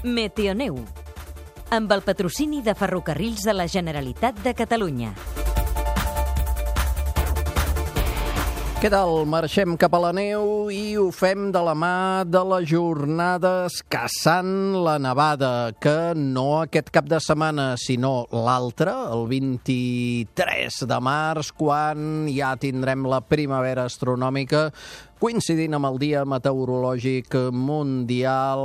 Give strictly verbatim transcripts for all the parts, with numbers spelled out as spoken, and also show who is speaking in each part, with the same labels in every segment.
Speaker 1: Meteoneu, amb el patrocini de Ferrocarrils de la Generalitat de Catalunya.
Speaker 2: Què tal? Marxem cap a la neu i ho fem de la mà de les jornades Caçant la Nevada, que no aquest cap de setmana, sinó l'altre, el vint-i-tres de març, quan ja tindrem la primavera astronòmica, coincidint amb el Dia Meteorològic Mundial,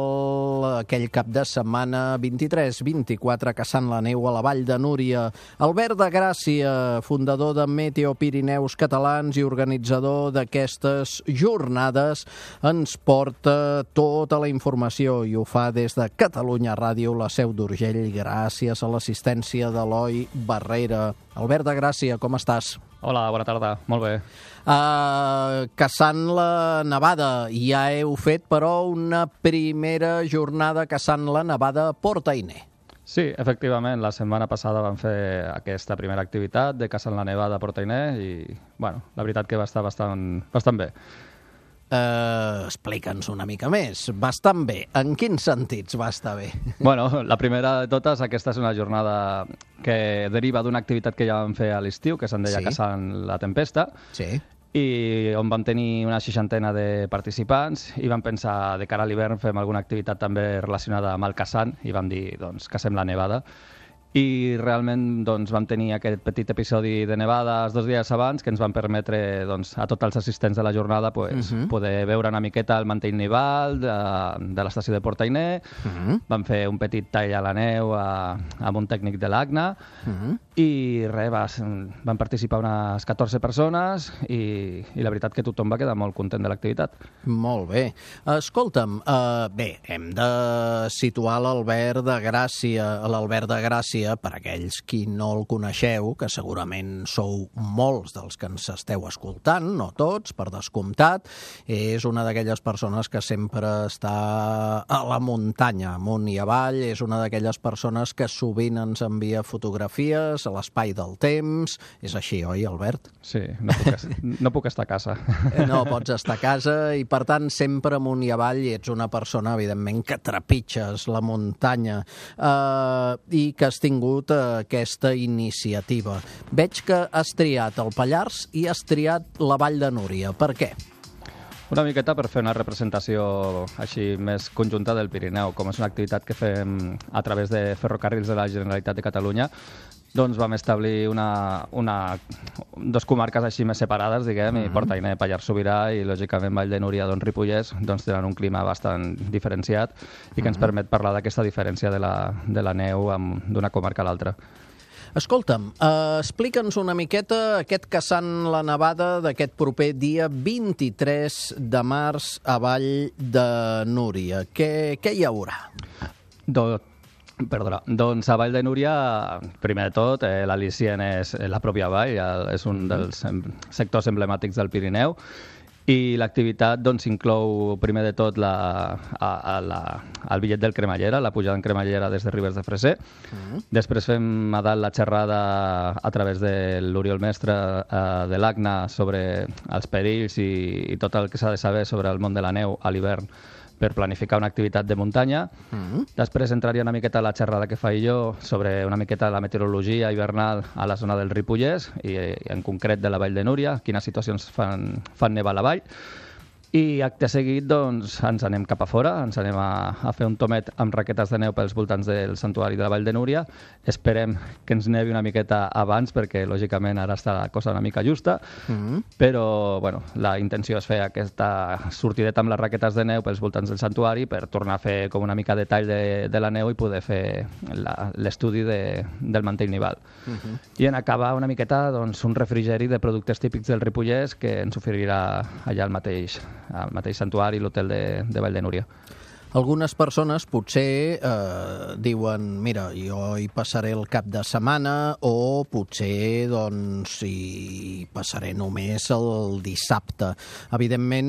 Speaker 2: aquell cap de setmana vint-i-tres vint-i-quatre, caçant la neu a la Vall de Núria. Albert de Gràcia, fundador de Meteo Pirineus Catalans i organitzador d'aquestes jornades, ens porta tota la informació i ho fa des de Catalunya Ràdio, la seu d'Urgell, gràcies a l'assistència d'Eloi Barrera. Albert de Gràcia, com estàs?
Speaker 3: Hola, bona tarda. Molt bé.
Speaker 2: Uh, caçant la nevada. Ja heu fet, però, una primera jornada caçant la nevada a Port-Ainé.
Speaker 3: Sí, efectivament. La setmana passada vam fer aquesta primera activitat de caçant la nevada a Port-Ainé i, bueno, la veritat que va estar bastant, bastant bé.
Speaker 2: Uh, Explica'ns una mica més. Bastant bé. En quins sentits va estar bé?
Speaker 3: Bueno, la primera de totes, aquesta és una jornada que deriva d'una activitat que ja vam fer a l'estiu, que se'n deia
Speaker 2: Sí.
Speaker 3: Caçant la Tempesta,
Speaker 2: Sí.
Speaker 3: i on vam tenir una seixantena de participants i vam pensar, de cara a l'hivern, fem alguna activitat també relacionada amb el caçant i vam dir, doncs, cacem la nevada. I realment doncs, vam tenir aquest petit episodi de nevades dos dies abans que ens van permetre doncs, a tots els assistents de la jornada pues,
Speaker 2: Uh-huh.
Speaker 3: poder veure una miqueta el mantell nival de, de l'estació de Port-Ainé.
Speaker 2: Uh-huh.
Speaker 3: Vam fer un petit tall a la neu a, amb un tècnic de l'A C N A
Speaker 2: Uh-huh.
Speaker 3: i res, va, van participar unes catorze persones i, i la veritat que tothom va quedar molt content de l'activitat.
Speaker 2: Molt bé. Escolta'm, uh, bé, hem de situar l'Albert de Gràcia, l'Albert de Gràcia, per aquells qui no el coneixeu, que segurament sou molts dels que ens esteu escoltant, no tots, per descomptat, és una d'aquelles persones que sempre està a la muntanya, amunt i avall, és una d'aquelles persones que sovint ens envia fotografies a l'espai del temps. És així, oi, Albert?
Speaker 3: Sí, no puc, no puc estar a casa.
Speaker 2: No pots estar a casa i, per tant, sempre amunt i avall ets una persona, evidentment, que trepitges la muntanya eh, i que has tingut eh, aquesta iniciativa. Veig que has triat el Pallars i has triat la Vall de Núria. Per què?
Speaker 3: Una miqueta per fer una representació així més conjunta del Pirineu. Com és una activitat que fem a través de Ferrocarrils de la Generalitat de Catalunya, doncs vam establir una, una, dos comarques així més separades, diguem, uh-huh. i Port-Ainé, Pallars Sobirà i, lògicament, Vall de Núria, doncs Ripollès, doncs tenen un clima bastant diferenciat i que uh-huh. ens permet parlar d'aquesta diferència de la, de la neu amb, d'una comarca a l'altra.
Speaker 2: Escolta'm, uh, explica'ns una miqueta aquest caçant la nevada d'aquest proper dia vint-i-tres de març a Vall de Núria. Què, què hi haurà?
Speaker 3: Do, perdona, doncs a Vall de Núria, primer de tot, eh, l'al·licient és la pròpia vall, és un dels em, sectors emblemàtics del Pirineu, i l'activitat doncs, inclou primer de tot la, a, a la, el bitllet del cremallera, la pujada en cremallera des de Ribes de Freser. Uh-huh. Després fem a dalt la xerrada a través de l'Oriol Mestre eh, de l'A C N A sobre els perills i, i tot el que s'ha de saber sobre el món de la neu a l'hivern per planificar una activitat de muntanya. Uh-huh. Després entraria una miqueta la xerrada que faig jo sobre una miqueta la meteorologia hivernal a la zona del Ripollès i en concret de la Vall de Núria, quines situacions fan, fan nevar a la vall. I acte seguit doncs, ens anem cap a fora, ens anem a, a fer un tomet amb raquetes de neu pels voltants del santuari de la Vall de Núria. Esperem que ens nevi una miqueta abans perquè, lògicament, ara està la cosa una mica justa, mm-hmm. però bueno, la intenció és fer aquesta sortideta amb les raquetes de neu pels voltants del santuari per tornar a fer com una mica de tall de, de la neu i poder fer la, l'estudi de, del mantell nival. Mm-hmm. I en acabar una miqueta doncs, un refrigeri de productes típics del Ripollès que ens oferirà allà al mateix al mateix santuari, l'hotel de, de Vall de Núria.
Speaker 2: Algunes persones potser eh, diuen, mira, jo hi passaré el cap de setmana, o potser doncs hi passaré només el dissabte. Evidentment,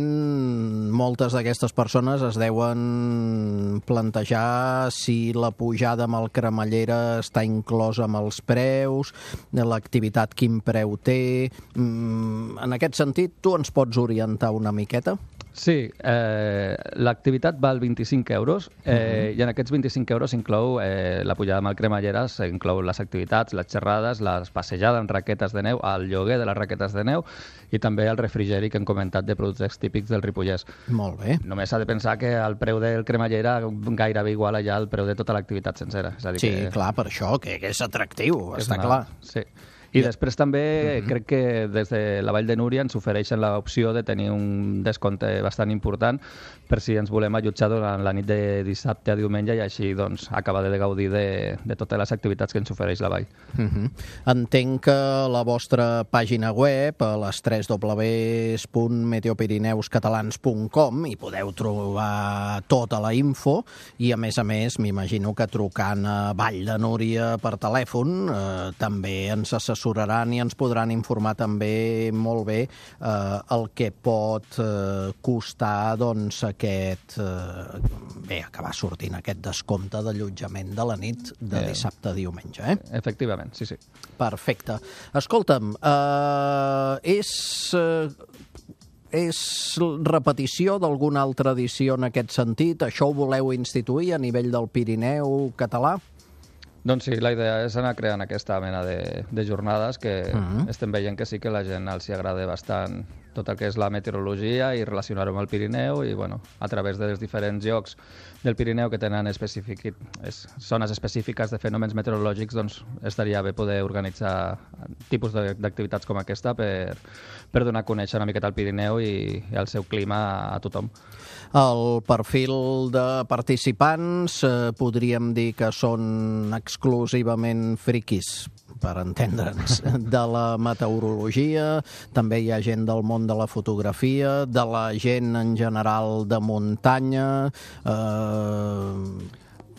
Speaker 2: moltes d'aquestes persones es deuen plantejar si la pujada amb el cremallera està inclosa amb els preus, l'activitat quin preu té. En aquest sentit, tu ens pots orientar una miqueta?
Speaker 3: Sí, eh, l'activitat val vint-i-cinc euros eh, uh-huh. i en aquests vint-i-cinc euros s'inclou eh, la pujada amb el cremalleres, s'inclou les activitats, les xerrades, les passejades en raquetes de neu, el lloguer de les raquetes de neu i també el refrigeri que hem comentat de productes típics del Ripollès.
Speaker 2: Molt bé.
Speaker 3: Només s'ha de pensar que el preu del cremallera gairebé igual allà al preu de tota l'activitat sencera. És a dir
Speaker 2: Sí,
Speaker 3: que...
Speaker 2: clar, per això, que, que és atractiu,
Speaker 3: és
Speaker 2: està
Speaker 3: una...
Speaker 2: clar.
Speaker 3: Sí. I després també uh-huh. crec que des de la Vall de Núria ens ofereixen l'opció de tenir un descompte bastant important per si ens volem allotjar durant la nit de dissabte a diumenge i així doncs, acabar de gaudir de, de totes les activitats que ens ofereix la Vall.
Speaker 2: Uh-huh. Entenc que la vostra pàgina web, a les w w w punt meteopirineuscatalans punt com, hi podeu trobar tota la info i, a més a més, m'imagino que trucant a Vall de Núria per telèfon eh, també ens assessoraran i ens podran informar també molt bé eh, el que pot eh, costar doncs, aquest, eh, bé, acabar sortint aquest descompte d'allotjament de la nit de eh, dissabte a diumenge. Eh?
Speaker 3: Efectivament, sí, sí.
Speaker 2: Perfecte. Escolta'm, eh, és... Eh, és repetició d'alguna altra edició en aquest sentit? Això ho voleu instituir a nivell del Pirineu català?
Speaker 3: Doncs sí, la idea és anar creant aquesta mena de, de jornades que uh-huh. estem veient que sí que la gent els hi agrada bastant tot el que és la meteorologia i relacionar-ho amb el Pirineu i, bueno, a través dels diferents llocs del Pirineu que tenen específic, és, zones específiques de fenòmens meteorològics, doncs estaria bé poder organitzar tipus d'activitats com aquesta per, per donar a conèixer una miqueta el Pirineu i, i el seu clima a tothom.
Speaker 2: El perfil de participants eh, podríem dir que són exclusivament friquis, per entendre'ns, de la meteorologia, també hi ha gent del món de la fotografia, de la gent en general de muntanya, eh,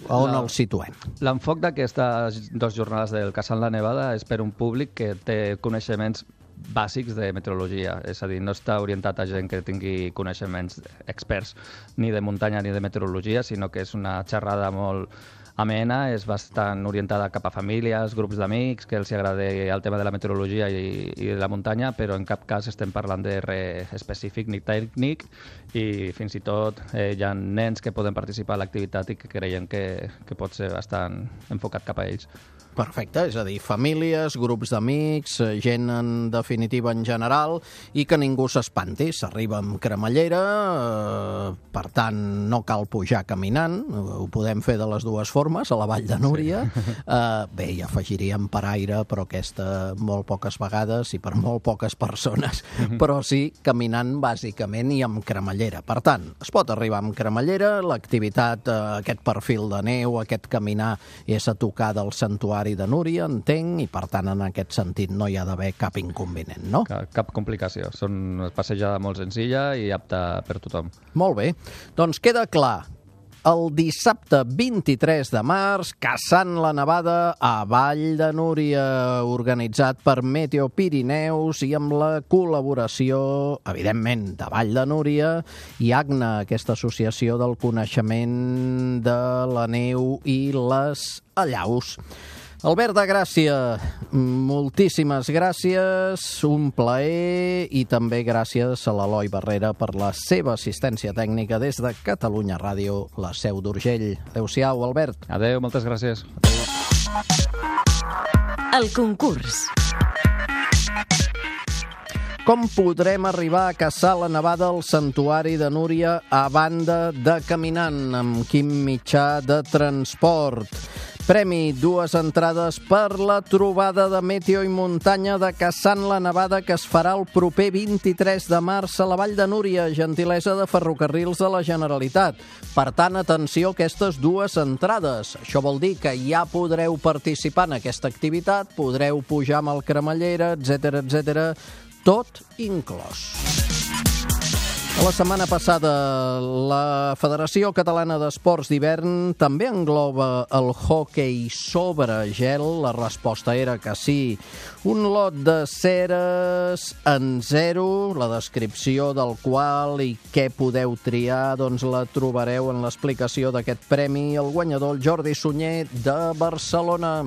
Speaker 2: on la, el situem?
Speaker 3: L'enfoc d'aquestes dues jornades del Casal La Nevada és per un públic que té coneixements bàsics de meteorologia, és a dir, no està orientat a gent que tingui coneixements experts ni de muntanya ni de meteorologia, sinó que és una xerrada molt amena, és bastant orientada cap a famílies, grups d'amics, que els agrada el tema de la meteorologia i, i de la muntanya, però en cap cas estem parlant de res específic ni tècnic i fins i tot eh, hi ha nens que poden participar a l'activitat i que creiem que, que pot ser bastant enfocat cap a ells.
Speaker 2: Perfecte, és a dir, famílies, grups d'amics, gent en definitiva en general, i que ningú s'espanti. S'arriba amb cremallera, eh, per tant no cal pujar caminant, ho podem fer de les dues formes, a la Vall de Núria. Sí. Eh, bé, hi afegiríem per aire, però aquesta molt poques vegades i per molt poques persones, però sí caminant bàsicament i amb cremallera. Per tant, es pot arribar amb cremallera, l'activitat, eh, aquest perfil de neu, aquest caminar és a tocar del santuari de Núria, entenc, i per tant en aquest sentit no hi ha d'haver cap inconvenient, no?
Speaker 3: Cap, cap complicació. Són una passejada molt senzilla i apta per tothom.
Speaker 2: Molt bé. Doncs queda clar. El dissabte vint-i-tres de març, caçant la nevada a Vall de Núria, organitzat per Meteo Pirineus i amb la col·laboració, evidentment, de Vall de Núria i ACNA, aquesta associació del coneixement de la neu i les allaus. Albert de Gràcia, moltíssimes gràcies, un plaer i també gràcies a l'Eloi Barrera per la seva assistència tècnica des de Catalunya Ràdio, la seu d'Urgell. Adéu-siau, Albert.
Speaker 3: Adéu, moltes gràcies. Adéu.
Speaker 1: El concurs.
Speaker 2: Com podrem arribar a caçar la nevada al santuari de Núria a banda de caminant? Amb quin mitjà de transport? Premi, dues entrades per la trobada de meteo i muntanya de Caçant la Nevada que es farà el proper vint-i-tres de març a la Vall de Núria, gentilesa de Ferrocarrils de la Generalitat. Per tant, atenció a aquestes dues entrades. Això vol dir que ja podreu participar en aquesta activitat, podreu pujar amb el cremallera, etcètera, etcètera, tot inclòs. La setmana passada, la Federació Catalana d'Esports d'Hivern també engloba el hoquei sobre gel. La resposta era que sí. Un lot de ceres en zero, la descripció del qual i què podeu triar, doncs la trobareu en l'explicació d'aquest premi. El guanyador, el Jordi Sunyer, de Barcelona.